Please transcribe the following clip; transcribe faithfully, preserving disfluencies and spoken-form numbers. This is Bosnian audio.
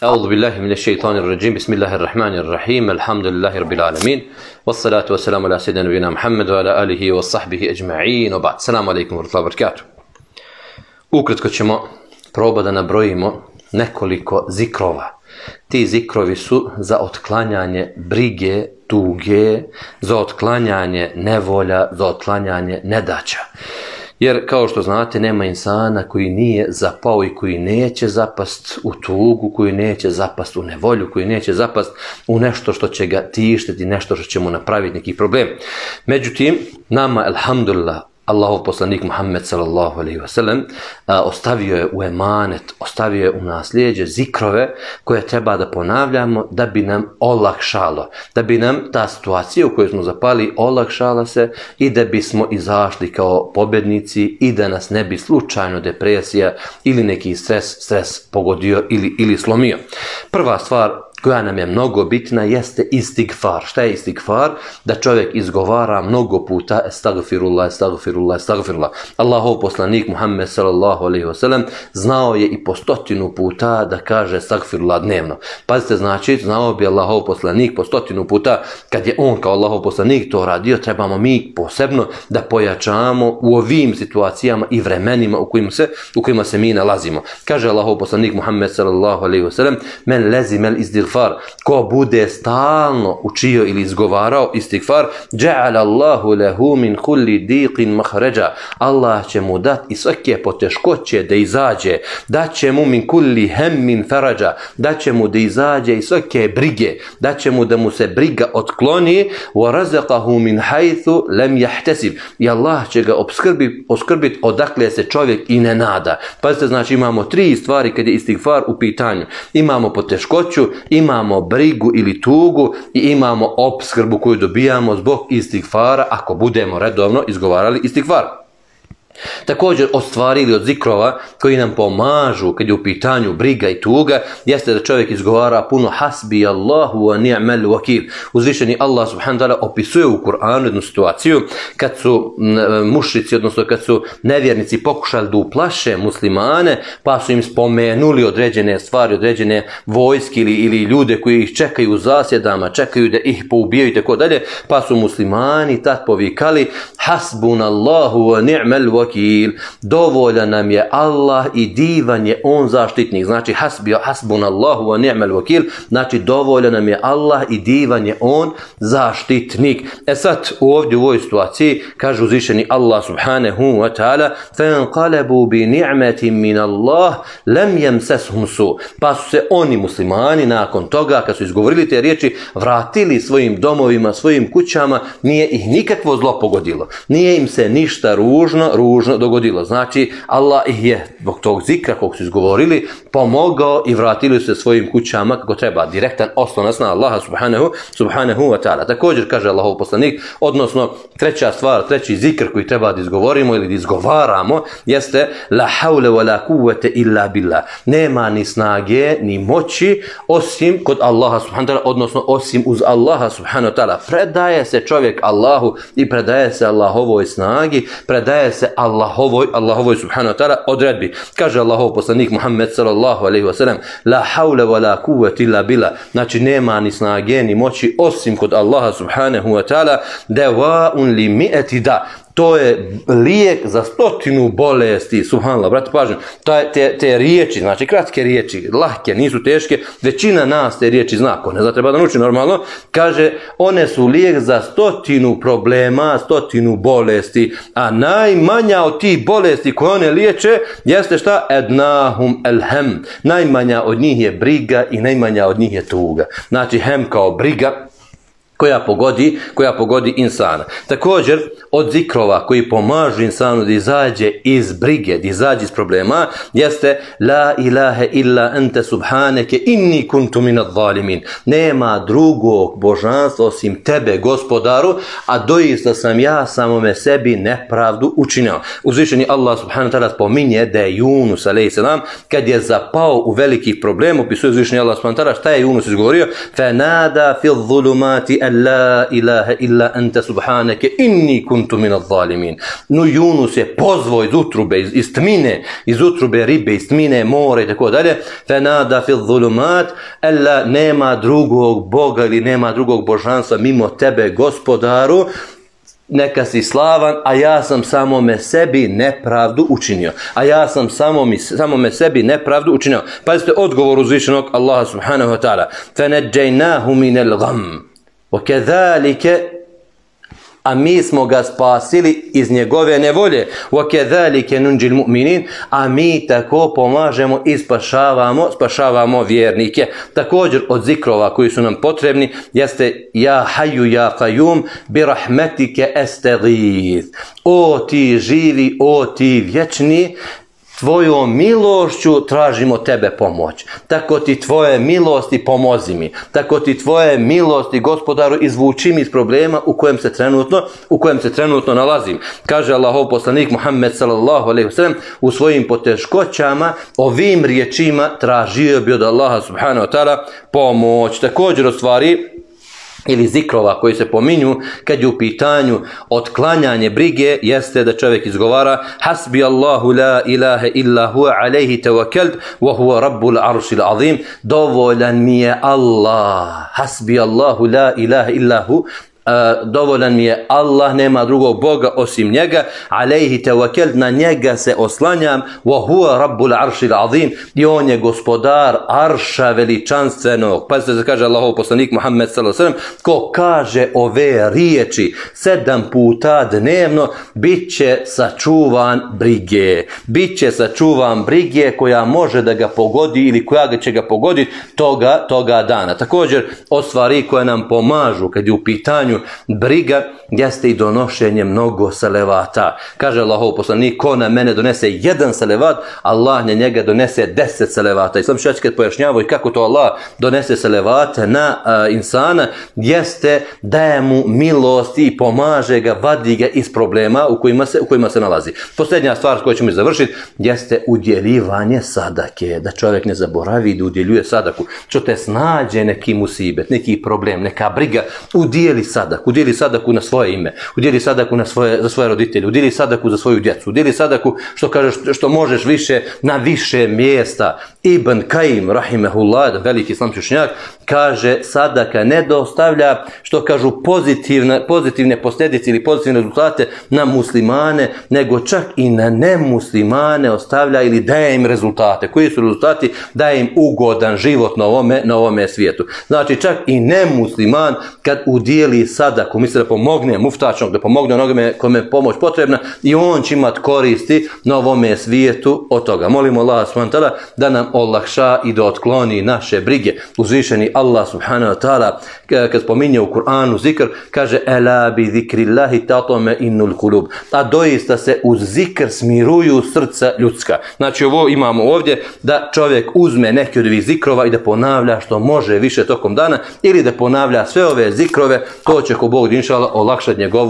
أعوذ بالله من الشيطان الرجيم بسم الله الرحمن الرحيم الحمد لله رب العالمين والصلاة والسلام على سيدنا نبينا محمد وعلى آله وصحبه أجمعين وبعد السلام عليكم ورحمة الله وبركاته. Ukratko ćemo probati da nabrojimo nekoliko zikrova. Ti zikrovi su za otklanjanje brige, tuge, za otklanjanje nevolja, za otklanjanje nedaća. Jer kao što znate nema insana koji nije zapao i koji neće zapast u tugu, koji neće zapast u nevolju, koji neće zapast u nešto što će ga tištiti, nešto što će mu napraviti neki problem. Međutim, nama, alhamdulillah, Allahov poslanik Muhammed sallallahu alejhi ve sellem ostavio je u emanet, ostavio je u nasljeđe zikrove koje treba da ponavljamo da bi nam olakšalo, da bi nam ta situacija u kojoj smo zapali olakšala se i da bismo izašli kao pobjednici i da nas ne bi slučajno depresija ili neki stres, stres pogodio ili, ili slomio. Prva stvar koja nam je mnogo bitna jeste istigfar. Šta je istigfar? Da čovjek izgovara mnogo puta estagfirullah, estagfirullah, estagfirullah. Allahov poslanik Muhammed sallallahu alejhi ve sellem znao je i po stotinu puta da kaže estagfirullah dnevno. Pazite, znači, znao bi Allahov poslanik po stotinu puta, kad je on kao Allahov poslanik to radio, trebamo mi posebno da pojačamo u ovim situacijama i vremenima u kojima se, u kojima se mi nalazimo. Kaže Allahov poslanik Muhammed sallallahu alejhi ve sellem: men lezimel istighfar, ko bude stalno učio ili izgovarao istigfar, ja'ala Allahu lahu min kulli diqin makhraja, Allah će mu dati iz svake poteškoće da izađe, da će mu min kulli hammin faraja, da će mu da izađe iz svake brige, da će mu da mu se briga otkloni, wa razaqahu min haythu lam yahtasib, i Allah će ga obskrbi, obskrbiti odakle se čovjek i ne nada. Pazite, znači imamo tri stvari kad je istigfar u pitanju. Imamo poteškoću, imamo brigu ili tugu i imamo opskrbu koju dobijamo zbog istigfara ako budemo redovno izgovarali istigfar. Također od stvari ili od zikrova koji nam pomažu kad je u pitanju briga i tuga jeste da čovjek izgovara puno hasbi Allahu wa ni'mal wakil. Uzvišeni Allah subhanahu wa ta'ala opisuje u Kur'anu jednu situaciju kad su mušrici, odnosno kad su nevjernici pokušali da uplaše muslimane, pa su im spomenuli određene stvari, određene vojske ili, ili ljude koji ih čekaju u zasjedama, čekaju da ih poubijaju i tako dalje, pa su muslimani tad povikali hasbunallahu wa ni'mal wakil, dovoljan nam je Allah i divan je on zaštitnik. Znači hasbi hasbunallahu wa ni'mal wakil, znači dovoljan nam je Allah i divan je on zaštitnik. E sad ovdje u ovoj situaciji kaže uzvišeni Allah subhanahu wa ta'ala: fanqalabu bi ni'matin min Allah lam yamsashum su, pa su se oni muslimani nakon toga kad su izgovorili te riječi vratili svojim domovima, svojim kućama, nije ih nikakvo zlo pogodilo, nije im se ništa ružno ružno dogodilo. Znači Allah ih je zbog tog zikra kog su izgovorili pomogao i vratili se svojim kućama kako treba. Direktan oslonac na Allaha subhanahu, subhanahu wa ta'ala. Također kaže Allahov poslanik, odnosno treća stvar, treći zikr koji treba da izgovorimo ili da izgovaramo jeste la hawla wa la quwwata illa billah. Nema ni snage ni moći osim kod Allaha subhanahu wa ta'ala, odnosno osim uz Allaha subhanahu wa ta'ala. Predaje se čovjek Allahu i predaje se Allahovoj snagi, predaje se Allahovoj, Allahovoj subhanahu wa ta'ala odredbi. Kaže Allahov poslanik Muhammed sallallahu alejhi ve sellem: la hawla wa la quwwata illa billah. Znači nema ni snage ni moći osim kod Allaha subhanahu wa ta'ala. Dawa'un li mi'ati da. To je lijek za stotinu bolesti. Subhanallah, brate, pažnju. Te, te riječi, znači kratke riječi, lahke, nisu teške, većina nas te riječi zna. Ko ne zna, treba da nauči normalno. Kaže, one su lijek za stotinu problema, stotinu bolesti, a najmanja od tih bolesti koje one liječe jeste šta? Ednahum elhem. Najmanja od njih je briga i najmanja od njih je tuga. Znači, hem kao briga koja pogodi, koja pogodi insana. Također, od zikrova koji pomažu insanu da izađe iz brige, da izađe iz problema, jeste la ilaha illa anta subhaneke inni kuntu minadh zalimin. Nema drugog božanstva osim tebe, gospodaru, a doista sam ja samome sebi nepravdu učinio. Uzvišeni Allah subhanahu wa ta'ala spominje da je Yunus alejhi selam kad je zapao u velikih problema, opisuje uzvišeni Allah subhanahu wa ta'ala šta je Yunus izgovorio: fanada fi dhulumati an la ilaha illa anta subhanaka inni kuntu minaz zalimin. No Yunus je pozvao iz utrube, iz, iz tmine, iz utrube ribe, iz tmine mora i tako dalje. Fenada fi zulumat, alla nema drugog Boga ili nema drugog božanstva mimo tebe, Gospodaru, neka si slavan, a ja sam samome sebi nepravdu učinio. A ja sam samome, samome sebi nepravdu učinio. Pazite odgovor uzvišenog Allaha subhanahu wa ta'ala. فَنَجَّيْنَاهُ مِنَ الْغَمِّ وَكَذَلِكَ, a mi smo ga spasili iz njegove nevolje. وَكَذَلِكَ نُنْجِ الْمُؤْمِنِينَ, a mi tako pomažemo i spašavamo, spašavamo vjernike. Također od zikrova koji su nam potrebni jeste ja hayyu ja qayyum bi rahmetike estagith. O ti živi, o ti vječni, tvojom milošću tražimo tebe pomoć. Tako ti tvoje milosti pomozi mi. Tako ti tvoje milosti, Gospodaru, izvuči mi iz problema u kojem se trenutno, u kojem se trenutno nalazim. Kaže Allahov poslanik Muhammed sallallahu alejhi ve sellem u svojim poteškoćama ovim riječima tražio bi od Allaha subhanahu wa ta'ala pomoć. Također od stvari ili zikrova koji se pominju kad je u pitanju otklanjanje brige jeste da čovjek izgovara hasbi Allahu la ilaha illa huwa alayhi tawakkalt wa huwa rabbul arshil azim. Dovoljan mi je Allah, hasbi Allahu la ilaha illa hu, Uh, dovoljan mi je Allah, nema drugog Boga osim njega, alejhi tevakel, na njega se oslanjam, wa huwa rabbul arshil azim, i on je gospodar arša veličanstvenog. Pa se kaže Allahov poslanik Muhammed sallallahu alejhi ve sellem, ko kaže ove riječi sedam puta dnevno, bit će sačuvan brige. Bit će sačuvan brige koja može da ga pogodi ili koja ga će ga pogoditi toga, toga dana. Također od stvari koje nam pomažu kad je u pitanju briga jeste i donošenje mnogo salevata. Kaže Allahov poslanik, ko na mene donese jedan salevat, Allah na njega donese deset salevata. Islam šač kad pojašnjavaju kako to Allah donese salevate na a, insana, jeste daje mu milosti i pomaže ga, vadi ga iz problema u kojima se, u kojima se nalazi. Posljednja stvar koju ćemo završiti jeste udjeljivanje sadake. Da čovjek ne zaboravi da udjeljuje sadaku. Što te snađe neki musibet, neki problem, neka briga, udjeli sadaku. Udjeli sadaku na svoje ime, udjeli sadaku na svoje, za svoje roditelje, udjeli sadaku za svoju djecu, udjeli sadaku što kažeš što možeš više na više mjesta. Ibn Kajim rahimehullah, veliki islamski učenjak, kaže sadaka ne dostavlja što kažu pozitivne, pozitivne posljedice ili pozitivne rezultate na muslimane, nego čak i na nemuslimane ostavlja ili daje im rezultate. Koji su rezultati? Daje im ugodan život na ovome, na ovome svijetu. Znači čak i nemusliman kad udjeli sadaku, misle da pomogne muftačnog, da pomogne onome kome je pomoć potrebna, i on će imati koristi na ovome svijetu od toga. Molimo Allah subhanahu wa ta'ala da nam olakša i da otkloni naše brige. Uzvišeni Allah subhanahu wa ta'ala kad spominje u Kur'anu zikr, kaže ela bi zikrillahi tatome innul kulub, a doista se uz zikr smiruju srca ljudska. Znači ovo imamo ovdje da čovjek uzme neki od ovih zikrova i da ponavlja što može više tokom dana, ili da ponavlja sve ove zikrove, to će ko Bog inšala olakšati njegovu